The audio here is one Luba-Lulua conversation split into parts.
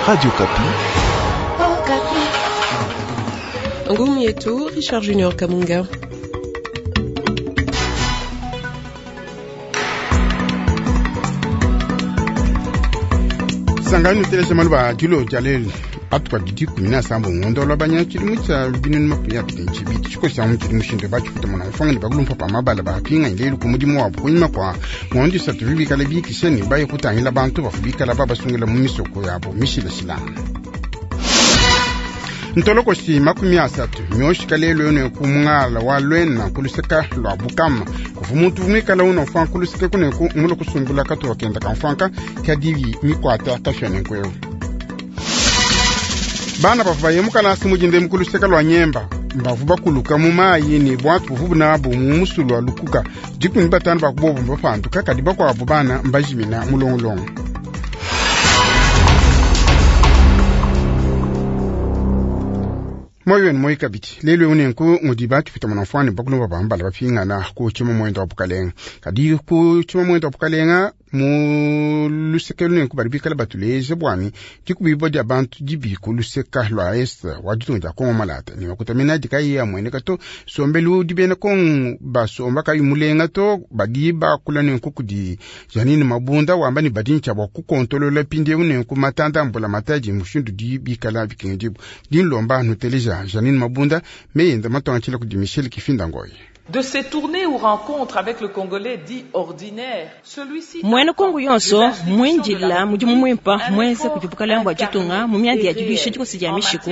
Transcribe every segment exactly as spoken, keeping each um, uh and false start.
Radio Okapi. Ngumu yetu Richard Junior Kamunga. Sangani telesha maluba dilo jalel atuka didi kumi na sambo ngondo lwabanya tshilimu tsha binunu makumi abidi ne tshibidi tshikosi mu tshidi mushindu batshifuta mona mfanga ne bakulumpa pa mabala bapinga ilelu ku mudimu wabu kunyima kwa ngondo isatu bibikala bikisha ne baye kutangila bantu bafu bikala babasungila mu misoko yabo mishilashilana ntolokoshi makumi asatu mioshika lelo yone ku mungala wa lwena kuluseka lwa bukama kufu muntu vumwikala uno fa kuluseka kuneku mulo kusumbula katuwa kenda kamfanka kadivi mikwata kashone nkweu bana bavu bayemukala simujinde mukuluseka lwa nyemba mbavu bakuluka mu mayi ne bwatu buvu nabo mu musulu wa lukuka dikumi batanu bakubobu mbapanduka kadi bakwabu bana mbajimina mulongolongo. Moyo wenu moyi kabidi lelo unenku ngudi batupita mwana mfwani bakulumba bambala bapingana ku chima mwendo wa bukalenga kadi ku chima mwendo wa bukalenga mu luseke lunenku bali bikala batuleje bwani dikubibo dia bantu dibi ku luseka lwa est wa ditunga dia Kongo malata ni makutamina dikayi ya mwene kato sombelu dibena Kongo basomba kayi mulenga to badi bakula nenku kudi Janine Mabunda wamba ni badi ntsha bwa kukontolola pinde unenku matanda mbula mataji mushindu di bikala bikengibu dinlomba nuteleja Janine Mabunda meyenda matonga tshila kudi Michel Kifinda Ngoyi. De ces tournées ou rencontres avec le Congolais dit ordinaire, celui-ci mwene Kongo yonso mwinjila mudimu mwimpa mweze kujibukala mbwa jitunga mu myandi ya jiluisha jikosi ja mishiku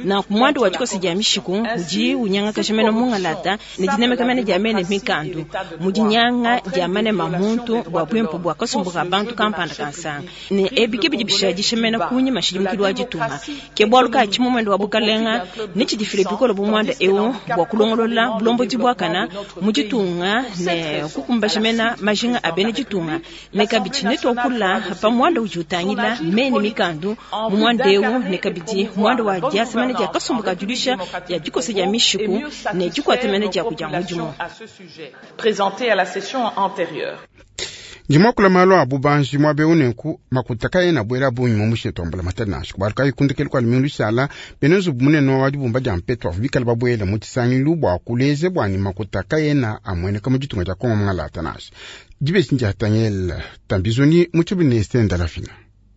na kumwando wa jikosi ja mishiku uji unyanga kashemeno mungalata ne dinemeka mene ja mene mikandu mujinyanga ja mane mamuntu bwa bwimpu bwa kasumbuka bantu kampanda kansanga ne ebike bidibisha jishemena kunyi mashidimukilwa jitunga ke bwalu ka chimumwendo wa bukalenga ne chidifile bikolo bumwanda ewo bwa kulongolola bulombo jibwakana mujitunga ne kukumbashimena majinga abene jitunga ne kabidi ne twakula pa mwanda ujutangila mene mikandu mu mwanda ewu ne kabidi mwanda wa diasemene dia kasumbuka julisha ya jikose dia mishiku ne jikwatemene dia kuja mudimu présenté à la session antérieure. Jimakula malo abu banji mwabe unenku makutaka yena bwela bunyi mu musheto mbula matana shikubaluka ikundikeli kwa lumingu lushala benezu munene wa dibumba dia mpeto afu bikala babwela mu tshisangilu bwa kuleze bwani makutaka yena amweneka mu ditunga dia Kongo mungalata nashi dibesi ndiatangela tambizoni mu tshibine sendalafina.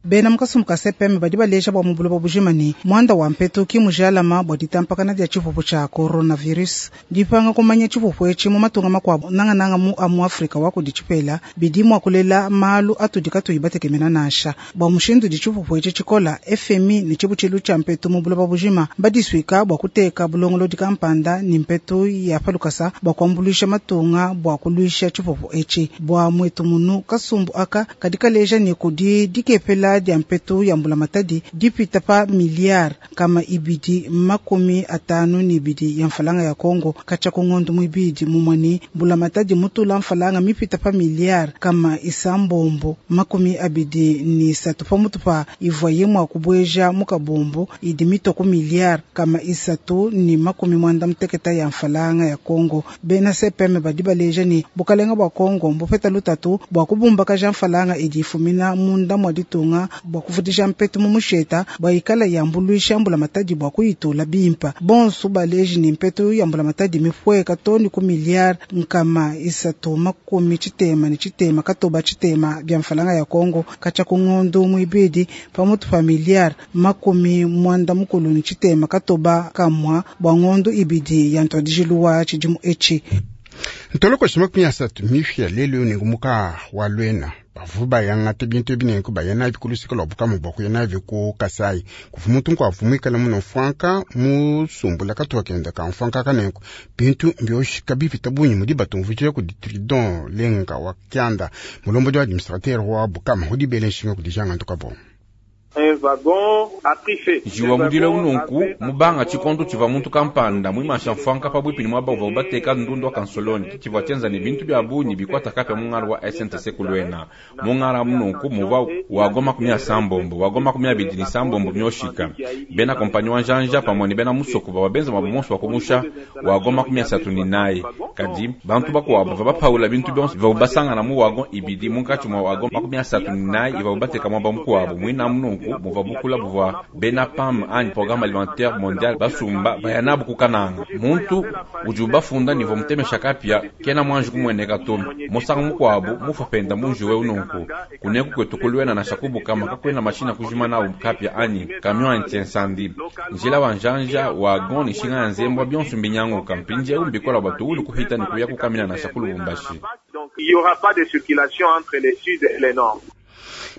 Bena mukasumbu ka C P M badi baleja bwa mubuloba bujima ne mwanda wa mpetu ki mujalama bwa ditampakana dia tshipupu tshia coronavirus dipanga kumanya tshipupu etshi mu matunga makuabu nangananga mu amu Afrika wa kudi tshipela bidi mua kulela malu atudi katuyi batekemena nansha bwa mushindu di tshipupu etshi tshikola F M I ne tshibutshilu tshia mpetu mu buloba bujima badisuika bwa kuteka bulongolodi kampanda ni mpetu ya palukasa bwa kuambuluisha matunga bwa kuluisha tshipupu etshi bwa mwetu munu kasumbu aka kadi kaleja ne kudi dikepela dia mpetu ya mbula matadi dipita pa miliard kama ibidi makumi atanu ni ibidi ya mfalanga ya Kongo kacha kungondo mwibidi mumwani mbula matadi mutula mfalanga mipita pa miliard kama isambombo makumi abidi ni satu pa mutupa ivoye mwa kubweja mukabombo idi mitoko miliard kama isatu ni makumi mwanda mteketa ya mfalanga ya Kongo bena C P M badi baleja ni bukalenga bwa Kongo mbupeta lutatu bwa kubumba kaja mfalanga idi ifumina munda mwa ditunga bwa kuvudisha mpetu mu musheta bwa ikala yambuluisha mbula matadi bwa kuyitula bimpa bonso baleji ni mpetu yambula matadi mifweka toni ku miliard nkama isatu makumi tshitema ni tshitema katoba tshitema bya mfalanga ya Kongo kacha kungondo mwibidi pamutu pa miliard makumi mwanda mukulu ni tshitema katoba kamwa bwa ngondo ibidi ya ntwadijiluwa tshidimu etshi. Ntoloko shima kunya satu mifia lelo ni ngumuka wa lwena bavu bayanga tebintu ebinenku bayana bikulusika lwa bukamu bwa kuyana biku Kasai kufu muntu nkwa vumwikala muno mfwanka musumbula katuwa kenda ka mfwanka kanenku bintu mbyoshika bipita bunyi mudi batumvujile ku ditridon lenga wa kyanda mulombo wa administrateur wa bukama hudi bele nshinga kudijanga ntuka bo. Jiwa mudile unonku mubanga tshikondo tshiva muntu kampanda mwimasha mfanka pabwipi ni mwaba uva ubateka ndundu wa kansoloni tshivua tshienza ne bintu bia bunyi bikwata kapya mungala wa S N T C kulwena mungala munonku muva wagoma makumi ya sambombo wagoma makumi abidi ni sambombo myoshika bena kompanyi wa njanja pamwe ni bena musoko baba benza mabumonso wakumusha wagoma makumi asatu ni naye kadi bantu bakuwabo va bapaula bintu byonso va ubasangana mu wagon ibidi munkatshi mwa wagon makumi asatu ni naye iva ubateka mwaba mukuwabo mwina munonku Muvua bukula buvua bena PAM anyi Programme Alimentaire Mondial basumba baya nabu ku Kananga. Muntu udi ubafunda ni mutemesha kapia kena mwanji kumweneka to. Musangu mukuabu mufa penda munji we ununku. Kuneku kwetu kulwena na shakubu kama kakwena mashina kujima na kapia anyi camion anti-incendie. Njila wa njanja wagon ni shinga ya nzembwa bionso mbinyanguka mpinje umbikola batu kuhita ni kuya kukamina na shakulu Lubumbashi. Donc il y aura pas de circulation entre le sud et le nord.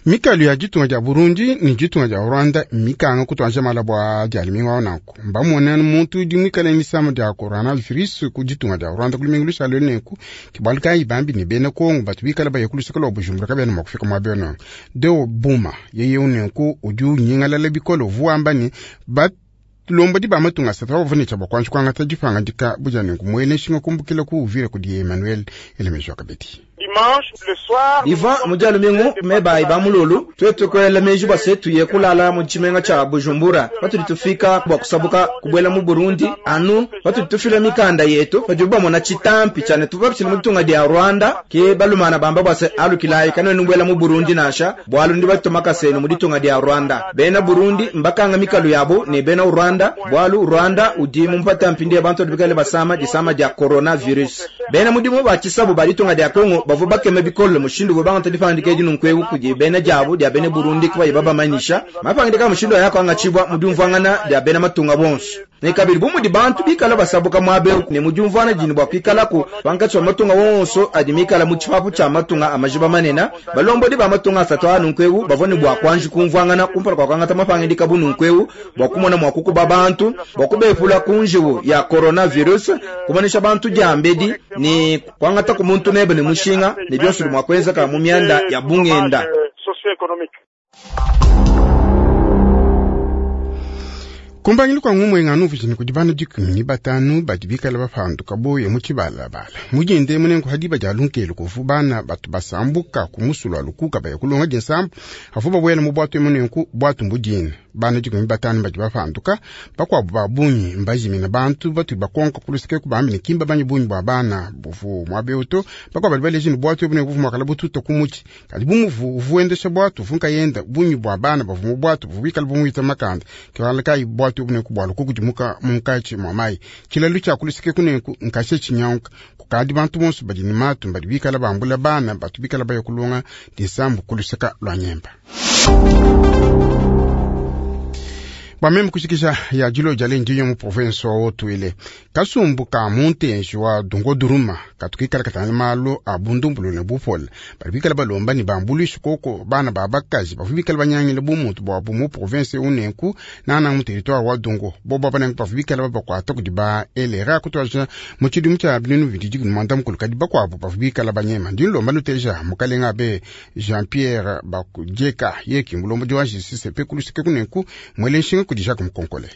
Mikalu ya ditunga dia Burundi ni ditunga dia Rwanda mikanga kutwanja malabwa dia liminga nanku mbamona muntu udi muikale nisama dia coronavirus ku ditunga dia Rwanda kuliminga lusalo nenku kibaluka ibambi ni bena Kongo batu bikala baye kulusaka lwa Bujumbura kabena makufika mwa beno deo buma yeye unenku udi unyingalala bikolo vuamba ni bat lomba di bamatunga asatu bavunica bakwanji kwangata dipanga dika buja nenku mwene nshinga kumbukila ku uvira kudi Emmanuel Elemejo Kabeti. Iva mujalu mingu meba iba mululu twetu kwela meji base tuye kulala mu chimenga cha Bujumbura patuli tufika bwa kusabuka kubwela mu Burundi anu patuli tufila mikanda yetu pajuba mona chitampi chane tupapchile mutunga dia Rwanda ke balumana bamba bwase alukilayi kanwe nubwela mu Burundi nasha bwalu ndi batumaka senu muditunga dia Rwanda bena Burundi mbakanga mikalu yabo ne bena Rwanda bwalu Rwanda udi mumpata mpindi abantu bikale basama disama dia coronavirus bena mudimu bachisabu balitunga dia Kongo bavu bakeme bikolo mushindu bo banga tadipandike dinu nkwewu kuje bena jabu dia bene Burundi kwa ibaba manisha mapangidika mushindu yako angachibwa mudumvangana dia bena matunga bonso ne kabiri bumudi bantu bikala basabuka mwabe ne mudumvana jini bwa kwikala ku bankatso matunga wonso adimikala mu chipapu cha matunga amajiba manena balombodi ba matunga asatu anu nkwewu bavone bwa kwanji kumvangana kumpala kwa kwangata mapangidika bunu nkwewu bwa kumona mwa kukuba bantu bwa kubepula kunjiwu ya coronavirus kumanisha bantu jambedi ni kwangata ku muntu nebe ne mushinga ne byonso mwa kwenza ka mu myanda ya bungenda. Kumbangilu kwa ngumwe nganu vijini kudibana dikumi ni batanu badi bikala bapanduka boye mu tshibalabala mujinde munengo hadi bajalunkelu kuvu bana batu basambuka kumusulu alukuka baye kulonga dinsambu afu babwela mu bwatu munenku bwatu mbudina bana dikumi batanu badi bapanduka bakwabu babunyi mbajimina bantu batu bakonka kulusike kubambi ni kimba banyi bunyi bwa bana buvu mwabeuto bakwabu bali balejini bwatu bunenku vumakala bututa kumuchi kadi bumuvu uvuendesha bwatu vunka yenda bunyi bwa bana bavu mu bwatu buvubikala bumuita makanda kiwala kai bwatu bune kubwalo kukudimuka munkachi mwamai chilalu cha kulusike kuneku nkashe chinyauka kukadi bantu bonso badi ni matu badi bikala bambula bana batu bikala bayo kulonga disambu kulusika lwa nyemba. Bameme kushikisha ya jilo jale ndiyo mu province wa Otuile kasumbu ka muntenji wa dungo duruma katukikala katana malo abundumbulu ne bupola bali bikala balomba ni bambulisha koko bana babakaji bavubikala banyangile bumuntu bwa mu province unenku nana mu territoire wa dungo bobo bana bavubikala babakwata kudi ba elera kutwaja mu chidimu cha binunu bididi kumanda mukulu kadi bakwabo bavubikala banyema ndilomba nuteja mukalenga be Jean Pierre Bakujeka yeki mulombo diwa justice pe kulusike kunenku mwele nshinga kudi Jacques Mukonkole.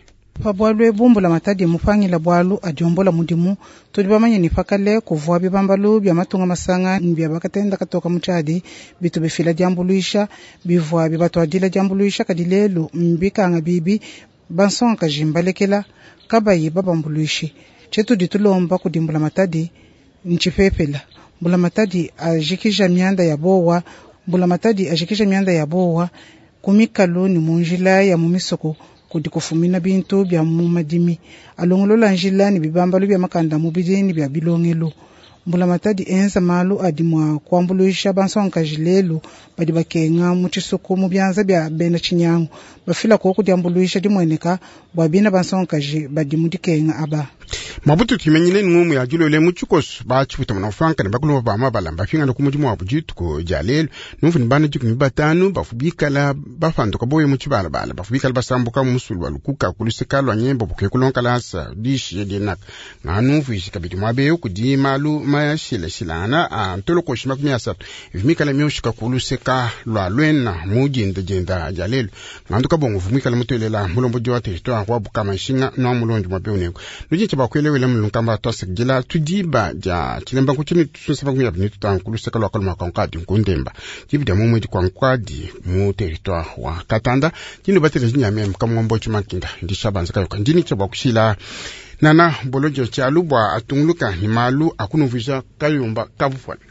Pabwalu ebumbula matadi mupangila bwalu adiombola mudimu tudi bamanye ni pakale kuvua bibambalu bya matunga masanga bya bakatenda katoka muchadi bitu bifila diambuluisha bivua bibatwadila diambuluisha kadi lelu mbikanga bibi bansonga kajimbalekela kabayi babambuluishi chetu ditulomba kudimbula matadi nchipepela mbula matadi ajikija mianda ya bowa mbula matadi ajikija mianda ya bowa kumikalu ni munjila ya mumisoko kudi kufumina bintu bya mumadimi alongolola njila ni bibambalu bya makanda mubidi ni bya bilongelo mbula matadi enza malu adi mwa kuambuluisha bansonga lelu badi bakenga mu tshisuku mu byanza bya bena tshinyangu bafila ko kudiambuluisha dimweneka bwa bina bansonga badi mu dikenga aba. Mabutu timenyile ngumu ya julole mu tshikoso ba tshiputa muna franka ne bakulomba ba mabala mbafingana ku mudimu wa bujituko ja lelo numvu ni bana dikumi batanu bafubikala bafanduka boye mu tshibalabala bafubikala basambuka mu musulu wa lukuka kulusika lwa nyembo buke kulonkala asa dishi dinaka nganumvu ishi kabidi mwabeyo kudi malu mashilashilana a ntolokoshi makumi asatu ivimikala myoshika kulusika lwa lwena mu jinda jinda ja lelo nganduka bongo vumikala mutuelela mulombo diwa territoire wa bukama nshinga no mulonji mwabeyo neko nujincha bakwelewela mulunkamba twasekujela tudiba ja chilemba nkuchini tusunsa makumi abini tutanu kulusika lwa kaluma kankadi nkundemba jibida mumwedi kwa nkwadi mu territoire wa Katanda jino batele jinyame mkamwombo chimakinda ndishabanza kayoka ndini cha bakushila nana bolojo cha lubwa atunguluka ni malu akunuvija kayumba kabufwana.